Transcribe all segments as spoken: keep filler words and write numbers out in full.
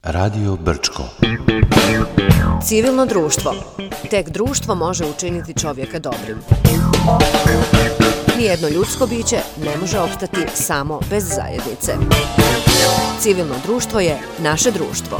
Radio Brčko. Civilno društvo. Tek društvo može učiniti čovjeka dobrim. Nijedno ljudsko biće ne može opstati samo bez zajednice. Civilno društvo je naše društvo.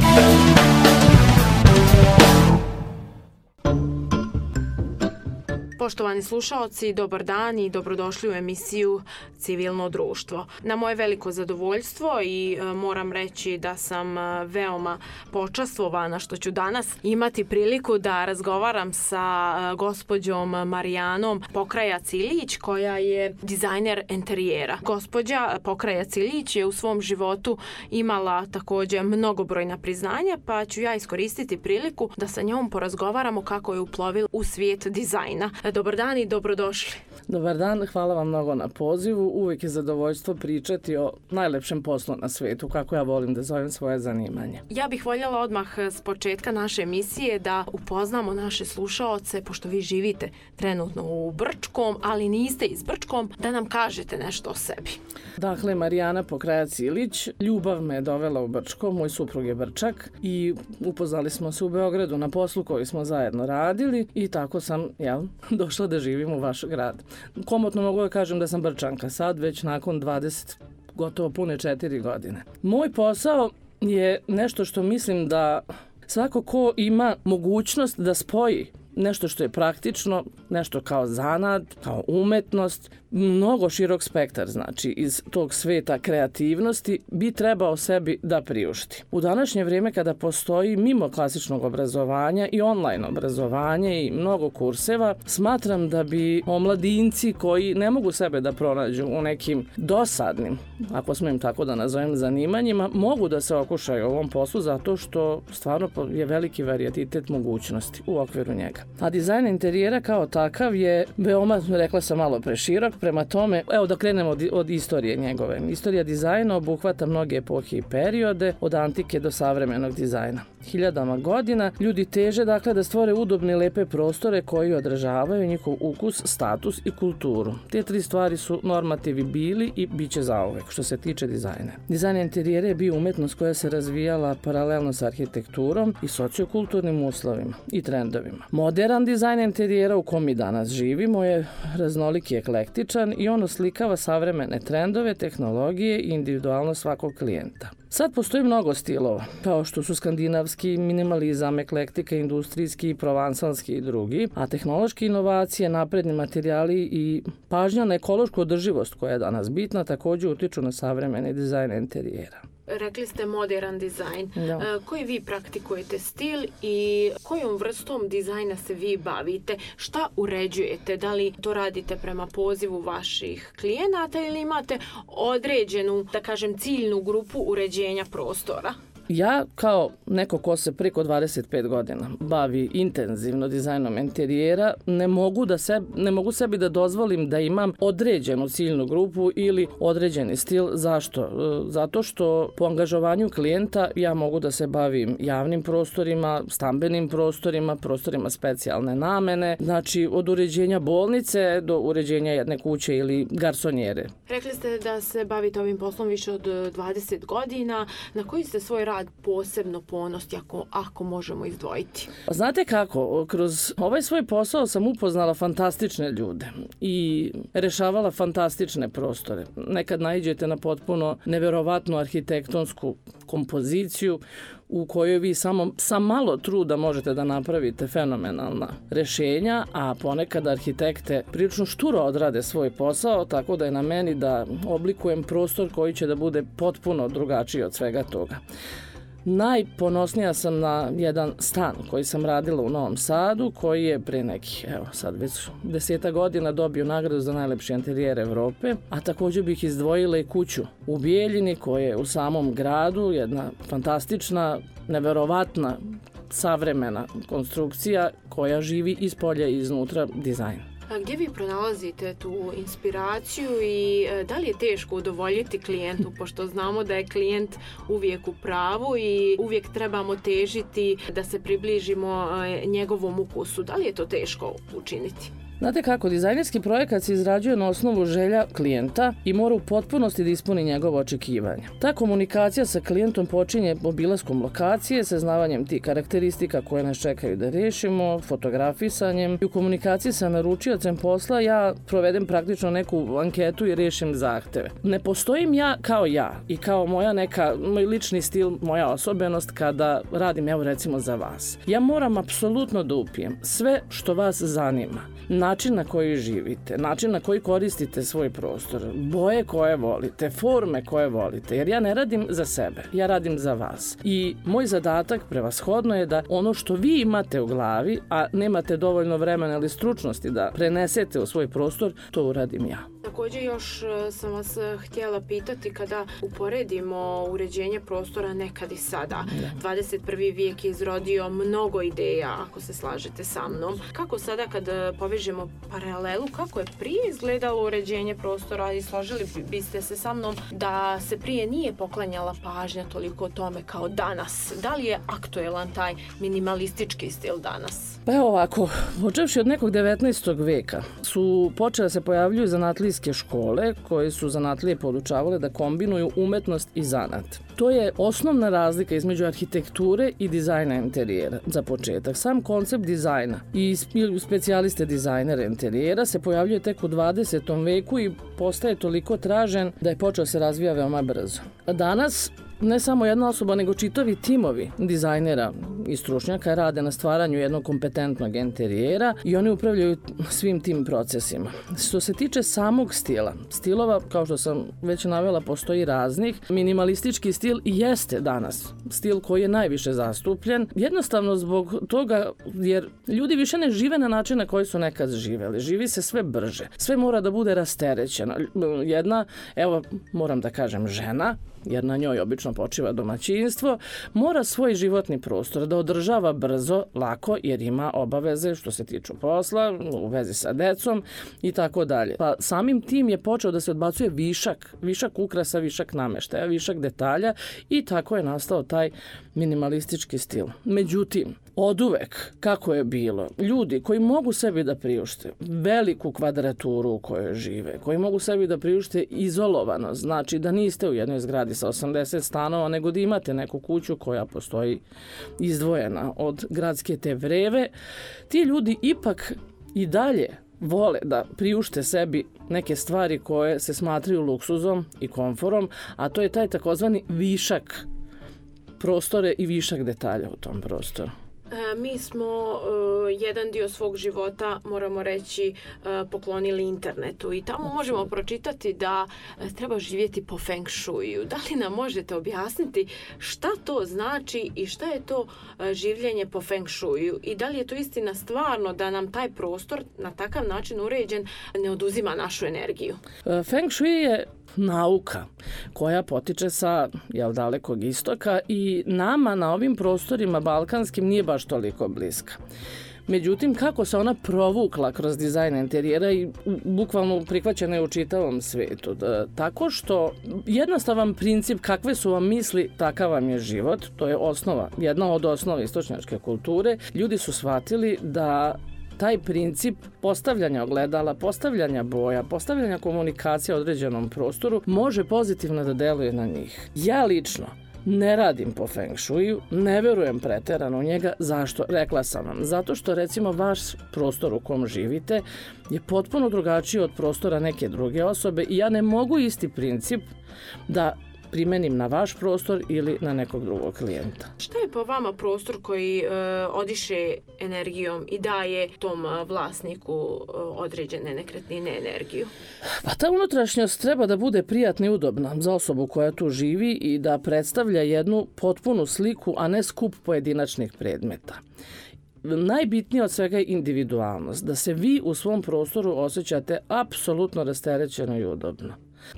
Poštovani slušaoci, dobar dan i dobrodošli u emisiju Civilno društvo. Na moje veliko zadovoljstvo i e, moram reći da sam e, veoma počastvovana što ću danas imati priliku da razgovaram sa e, gospođom Marijanom Pokrajac-Ilić, koja je dizajner enterijera. Gospođa Pokrajac-Ilić je u svom životu imala također mnogobrojna priznanja, pa ću ja iskoristiti priliku da sa njom porazgovaramo kako je uplovila u svijet dizajna. Dobar dan i dobrodošli. Dobar dan, hvala vam mnogo na pozivu. Uvijek je zadovoljstvo pričati o najlepšem poslu na svijetu, kako ja volim da zovem svoje zanimanje. Ja bih voljela odmah s početka naše emisije da upoznamo naše slušaoce, pošto vi živite trenutno u Brčkom, ali niste iz Brčkom, da nam kažete nešto o sebi. Dakle, Marijana Pokrajac-Ilić, ljubav me je dovela u Brčko, moj suprug je Brčak i upoznali smo se u Beogradu na poslu koji smo zajedno radili i tako sam, jel, došla da živim u vaš grad. Komotno mogu da kažem da sam Brčanka sad, već nakon dvadeset, gotovo pune četiri godine. Moj posao je nešto što mislim da svako ko ima mogućnost da spoji nešto što je praktično, nešto kao zanat, kao umetnost, mnogo širok spektar, znači iz tog sveta kreativnosti bi trebao sebi da priušti. U današnje vrijeme kada postoji mimo klasičnog obrazovanja i online obrazovanje i mnogo kurseva, smatram da bi omladinci koji ne mogu sebe da pronađu u nekim dosadnim, ako smijem tako da nazovem, zanimanjima, mogu da se okušaju u ovom poslu zato što stvarno je veliki varijetet mogućnosti u okviru njega. A dizajn interijera kao takav je veoma, rekla sam, malo preširok. Prema tome, evo da krenemo od, od istorije njegove. Istorija dizajna obuhvata mnoge epohe i periode, od antike do savremenog dizajna. Hiljadama godina ljudi teže dakle da stvore udobne i lepe prostore koji odražavaju njihov ukus, status i kulturu. Te tri stvari su normativi bili i bit će zauvek što se tiče dizajna. Dizajn interijera je bio umetnost koja se razvijala paralelno sa arhitekturom i sociokulturnim uslovima i trendovima. Modern dizajn interijera u kom mi danas živimo je raznolik i eklektičan i on oslikava savremene trendove, tehnologije i individualnost svakog klijenta. Sad postoji mnogo stilova, kao što su skandinavski, minimalizam, eklektika, industrijski, provansalski i drugi, a tehnološke inovacije, napredni materijali i pažnja na ekološku održivost koja je danas bitna također utiču na savremeni dizajn interijera. Rekli ste modern dizajn. Da. Koji vi praktikujete stil i kojom vrstom dizajna se vi bavite? Šta uređujete? Da li to radite prema pozivu vaših klijenata ili imate određenu, da kažem, ciljnu grupu uređenja prostora? Ja kao neko ko se preko dvadeset pet godina bavi intenzivno dizajnom interijera, ne mogu, da se, ne mogu sebi da dozvolim da imam određenu ciljnu grupu ili određeni stil. Zašto? Zato što po angažovanju klijenta ja mogu da se bavim javnim prostorima, stambenim prostorima, prostorima specijalne namene, znači od uređenja bolnice do uređenja jedne kuće ili garsonjere. Rekli ste da se bavite ovim poslom više od dvadeset godina. Na koji ste svoj rad posebno ponosni, ako, ako možemo izdvojiti? Znate kako, kroz ovaj svoj posao sam upoznala fantastične ljude i rešavala fantastične prostore. Nekad naiđete na potpuno neverovatnu arhitektonsku kompoziciju u kojoj vi samo sa malo truda možete da napravite fenomenalna rešenja, a ponekad arhitekte prilično šturo odrade svoj posao, tako da je na meni da oblikujem prostor koji će da bude potpuno drugačiji od svega toga. Najponosnija sam na jedan stan koji sam radila u Novom Sadu, koji je pre nekih, evo sad već deseta godina dobio nagradu za najlepši interijer Evrope, a također bih izdvojila i kuću u Bijeljini koja je u samom gradu, jedna fantastična, neverovatna, savremena konstrukcija koja živi iz polja i iznutra dizajn. A gdje vi pronalazite tu inspiraciju i da li je teško udovoljiti klijentu, pošto znamo da je klijent uvijek u pravu i uvijek trebamo težiti da se približimo njegovom ukusu. Da li je to teško učiniti? Znate kako, dizajnerski projekat se izrađuje na osnovu želja klijenta i mora u potpunosti da ispuni njegovo očekivanje. Ta komunikacija sa klijentom počinje obilaskom lokacije, saznavanjem tih karakteristika koje nas čekaju da rešimo, fotografisanjem i u komunikaciji sa naručiocem posla ja provedem praktično neku anketu i rešim zahteve. Ne postojim ja kao ja i kao moja neka, moj lični stil, moja osobenost kada radim, evo recimo za vas. Ja moram apsolutno da upijem sve što vas zanima. Način na koji živite, način na koji koristite svoj prostor, boje koje volite, forme koje volite, jer ja ne radim za sebe, ja radim za vas. I moj zadatak prevashodno je da ono što vi imate u glavi, a nemate dovoljno vremena ili stručnosti da prenesete u svoj prostor, to uradim ja. Također još sam vas htjela pitati kada uporedimo uređenje prostora nekad i sada. dvadeset prvi vijek je izrodio mnogo ideja, ako se slažete sa mnom. Kako sada kad povežemo paralelu, kako je prije izgledalo uređenje prostora i složili biste se sa mnom da se prije nije poklanjala pažnja toliko o tome kao danas? Da li je aktuelan taj minimalistički stil danas? Pa evo ovako, počevši od nekog devetnaestog veka su počele se pojavljuju zanatlijske škole koje su zanatlije podučavale da kombinuju umetnost i zanat. To je osnovna razlika između arhitekture i dizajna interijera. Za početak, sam koncept dizajna i specijaliste dizajnera interijera se pojavljuje tek u dvadesetom veku i postaje toliko tražen da je počeo se razvija veoma brzo. Danas ne samo jedna osoba, nego čitavi timovi dizajnera i stručnjaka rade na stvaranju jednog kompetentnog interijera i oni upravljaju svim tim procesima. Što se tiče samog stila, stilova, kao što sam već navela, postoji raznih. Minimalistički stil i jeste danas stil koji je najviše zastupljen, jednostavno zbog toga jer ljudi više ne žive na način na koji su nekad živeli. Živi se sve brže. Sve mora da bude rasterećeno. Jedna, evo, moram da kažem, žena, jer na njoj obično počiva domaćinstvo, mora svoj životni prostor da održava brzo, lako, jer ima obaveze što se tiču posla, u vezi sa decom i tako dalje. Pa samim tim je počeo da se odbacuje višak, višak ukrasa, višak nameštaja, višak detalja i tako je nastao taj minimalistički stil. Međutim, oduvek, kako je bilo, ljudi koji mogu sebi da priušte veliku kvadraturu u kojoj žive, koji mogu sebi da priušte izolovano, znači da niste u jednoj zgradi sa osamdeset stanova, nego da imate neku kuću koja postoji izdvojena od gradske te vreve, ti ljudi ipak i dalje vole da priušte sebi neke stvari koje se smatraju luksuzom i komforom, a to je taj takozvani višak prostore i višak detalja u tom prostoru. E, mi smo e, jedan dio svog života, moramo reći, e, poklonili internetu i tamo možemo pročitati da e, treba živjeti po feng shuiju. Da li nam možete objasniti šta to znači i šta je to e, življenje po feng shuiju i da li je to istina stvarno da nam taj prostor na takav način uređen ne oduzima našu energiju? E, feng shui je nauka koja potiče sa jel, dalekog istoka i nama na ovim prostorima balkanskim nije baš toliko bliska. Međutim, kako se ona provukla kroz dizajn interijera i bukvalno prihvaćena je u čitavom svetu. Da, tako što jednostavan princip kakve su vam misli, takav vam je život, to je osnova, jedna od osnova istočnjačke kulture. Ljudi su shvatili da taj princip postavljanja ogledala, postavljanja boja, postavljanja komunikacije u određenom prostoru može pozitivno da deluje na njih. Ja lično ne radim po feng shuiju, ne verujem preterano u njega. Zašto? Rekla sam vam. Zato što recimo vaš prostor u kom živite je potpuno drugačiji od prostora neke druge osobe i ja ne mogu isti princip da primenim na vaš prostor ili na nekog drugog klijenta. Šta je po vama prostor koji e, odiše energijom i daje tom vlasniku e, određene nekretnine energiju? Pa ta unutrašnjost treba da bude prijatna i udobna za osobu koja tu živi i da predstavlja jednu potpunu sliku, a ne skup pojedinačnih predmeta. Najbitnije od svega je individualnost, da se vi u svom prostoru osjećate apsolutno rasterećeno i udobno.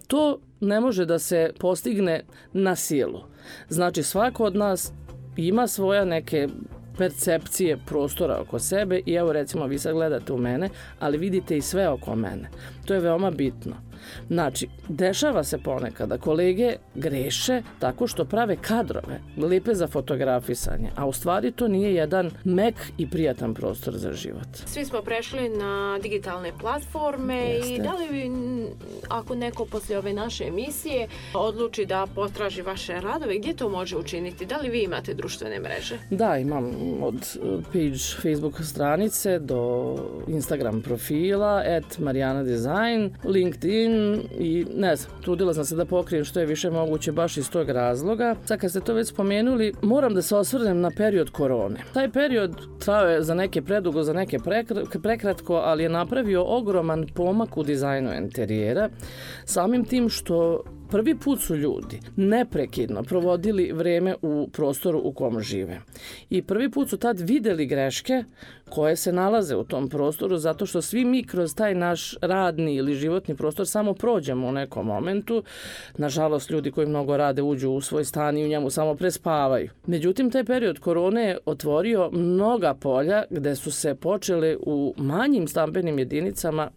To ne može da se postigne na silu. Znači, svako od nas ima svoja neke percepcije prostora oko sebe i evo recimo vi sad gledate u mene, ali vidite i sve oko mene. To je veoma bitno. Znači, dešava se ponekad da kolege greše tako što prave kadrove, lepe za fotografisanje, a u stvari to nije jedan mek i prijatan prostor za život. Svi smo prešli na digitalne platforme. Jeste. I da li vi, ako neko posle ove naše emisije odluči da potraži vaše radove, gdje to može učiniti? Da li vi imate društvene mreže? Da, imam od page Facebook stranice do Instagram profila, at Marijana Design, LinkedIn i ne znam, trudila sam se da pokrijem što je više moguće baš iz tog razloga. Sad kad ste to već spomenuli, moram da se osvrnem na period korone. Taj period trao je za neke predugo, za neke prekratko, ali je napravio ogroman pomak u dizajnu interijera, samim tim što prvi put su ljudi neprekidno provodili vreme u prostoru u kom žive. I prvi put su tad videli greške koje se nalaze u tom prostoru, zato što svi mi kroz taj naš radni ili životni prostor samo prođemo u nekom momentu. Nažalost, ljudi koji mnogo rade uđu u svoj stan i u njemu samo prespavaju. Međutim, taj period korone je otvorio mnoga polja gde su se počele u manjim stambenim jedinicama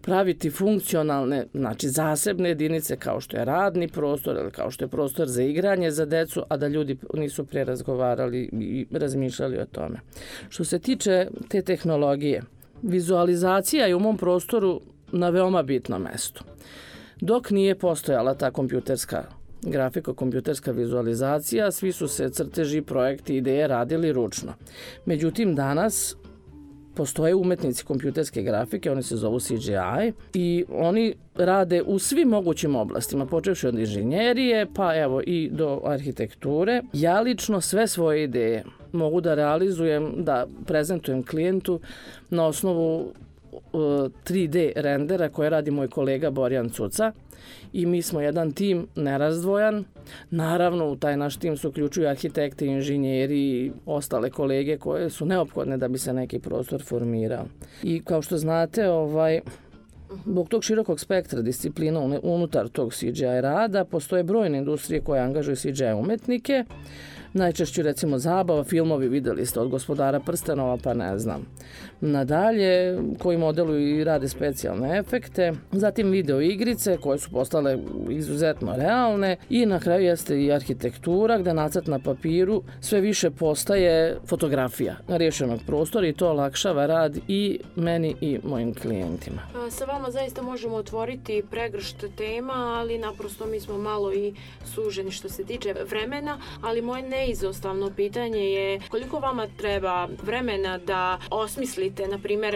praviti funkcionalne, znači zasebne jedinice kao što je radni prostor ili kao što je prostor za igranje za decu, a da ljudi nisu pre razgovarali i razmišljali o tome. Što se tiče te tehnologije, vizualizacija je u mom prostoru na veoma bitnom mestu. Dok nije postojala ta kompjuterska grafika, kompjuterska vizualizacija, svi su se crteži, projekti, ideje radili ručno. Međutim, danas postoje umetnici kompjuterske grafike, oni se zovu C G I i oni rade u svim mogućim oblastima, počevši od inženjerije pa evo i do arhitekture. Ja lično sve svoje ideje mogu da realizujem, da prezentujem klijentu na osnovu tri D rendera koje radi moj kolega Borjan Cuca i mi smo jedan tim nerazdvojan. Naravno, u taj naš tim se uključuju arhitekte, inženjeri i ostale kolege koje su neophodne da bi se neki prostor formirao. I kao što znate, ovaj, zbog tog širokog spektra disciplina unutar tog C G I rada postoje brojne industrije koje angažuju C G I umetnike. Najčešće recimo zabava, filmovi videli ste od Gospodara prstenova, pa ne znam. Nadalje, koji modeluju i rade specijalne efekte, zatim video igrice koje su postale izuzetno realne i na kraju jeste i arhitektura gde nacrt na papiru sve više postaje fotografija rješenog prostora i to olakšava rad i meni i mojim klijentima. Sa vama zaista možemo otvoriti pregršt tema, ali naprosto mi smo malo i suženi što se tiče vremena, ali moje neizostavno pitanje je koliko vama treba vremena da osmislite, na primjer,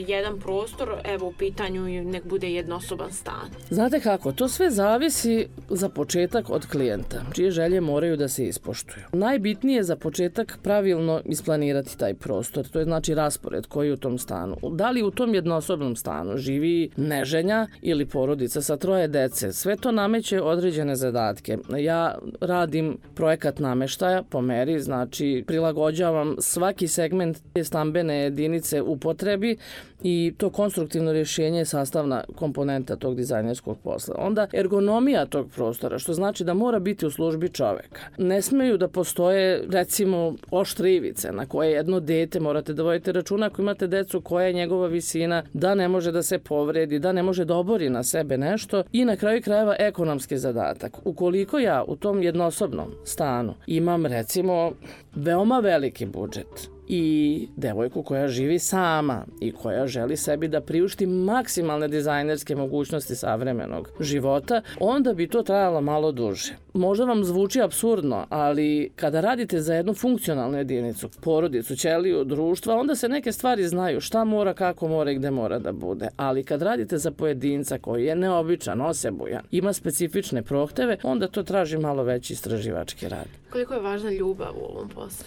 jedan prostor, evo u pitanju nek bude jednosoban stan. Znate kako, to sve zavisi za početak od klijenta, čije želje moraju da se ispoštuju. Najbitnije je za početak pravilno isplanirati taj prostor, to je znači raspored koji je u tom stanu. Da li u tom jednosobnom stanu živi neženja ili porodica sa troje dece, sve to nameće određene zadatke. Ja radim projekat nameštaja po meri, znači prilagođavam svaki segment te stambene jedinice u potrebi i to konstruktivno rješenje je sastavna komponenta tog dizajnerskog posla. Onda ergonomija tog prostora, što znači da mora biti u službi čoveka. Ne smeju da postoje, recimo, oštre ivice na koje jedno dete morate da vodite računa ako imate decu koja je njegova visina, da ne može da se povredi, da ne može da obori na sebe nešto i na kraju krajeva ekonomski zadatak. Ukoliko ja u tom jednosobnom stanu imam, recimo, veoma veliki budžet i devojku koja živi sama i koja želi sebi da priušti maksimalne dizajnerske mogućnosti savremenog života, onda bi to trajalo malo duže. Možda vam zvuči apsurdno, ali kada radite za jednu funkcionalnu jedinicu, porodicu, ćeliju, društva, onda se neke stvari znaju šta mora, kako mora i gde mora da bude. Ali kad radite za pojedinca koji je neobičan, osebujan, ima specifične prohteve, onda to traži malo veći istraživački rad. Koliko je važna ljubav u ovom poslu?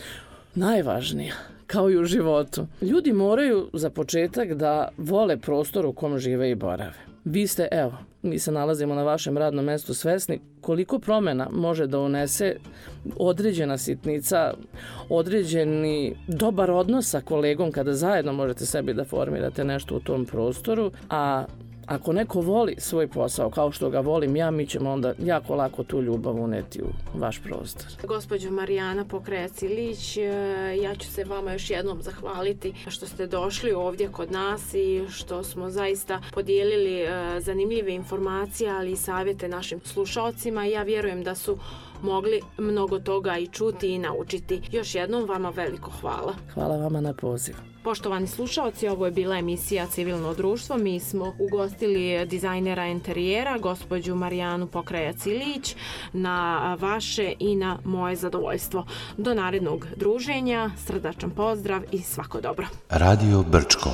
Najvažnija, kao i u životu. Ljudi moraju za početak da vole prostor u kom žive i borave. Vi ste, evo, mi se nalazimo na vašem radnom mestu svesni koliko promjena može da unese određena sitnica, određeni dobar odnos sa kolegom kada zajedno možete sebi da formirate nešto u tom prostoru, a ako neko voli svoj posao kao što ga volim ja, mi ćemo onda jako lako tu ljubav uneti u vaš prostor. Gospođo Marijana Pokrajac-Ilić, ja ću se vama još jednom zahvaliti što ste došli ovdje kod nas i što smo zaista podijelili zanimljive informacije, ali i savjete našim slušalcima. Ja vjerujem da su mogli mnogo toga i čuti i naučiti. Još jednom vama veliko hvala. Hvala vama na poziv. Poštovani slušalci, ovo je bila emisija Civilno društvo. Mi smo ugostili dizajnera interijera, gospođu Marijanu Pokrajac-Ilić, na vaše i na moje zadovoljstvo. Do narednog druženja, srdačan pozdrav i svako dobro. Radio Brčko.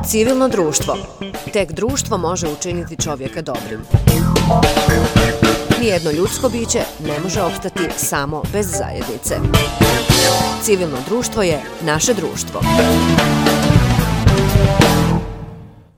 Civilno društvo. Tek društvo može učiniti čovjeka dobrim. Nijedno ljudsko biće ne može opstati samo bez zajednice. Civilno društvo je naše društvo.